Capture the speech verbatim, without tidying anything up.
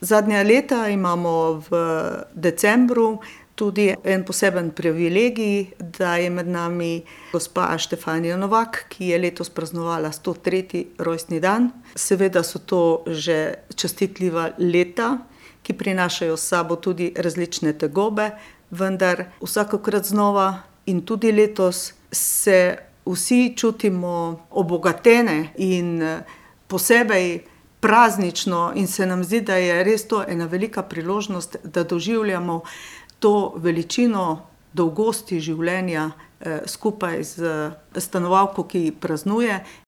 Zadnja leta imamo v decembru tudi en poseben privilegij, da je med nami gospa Štefanija Novak, ki je letos praznovala sto tretji rojstni dan. Seveda so to že častitljiva leta, ki prinašajo s sabo tudi različne tegobe, vendar vsakokrat znova in tudi letos se vsi čutimo obogatene in posebej praznično in se nam zdi, da je res to ena velika priložnost, da doživljamo to veličino dolgosti življenja skupaj s stanovalko, ki praznuje.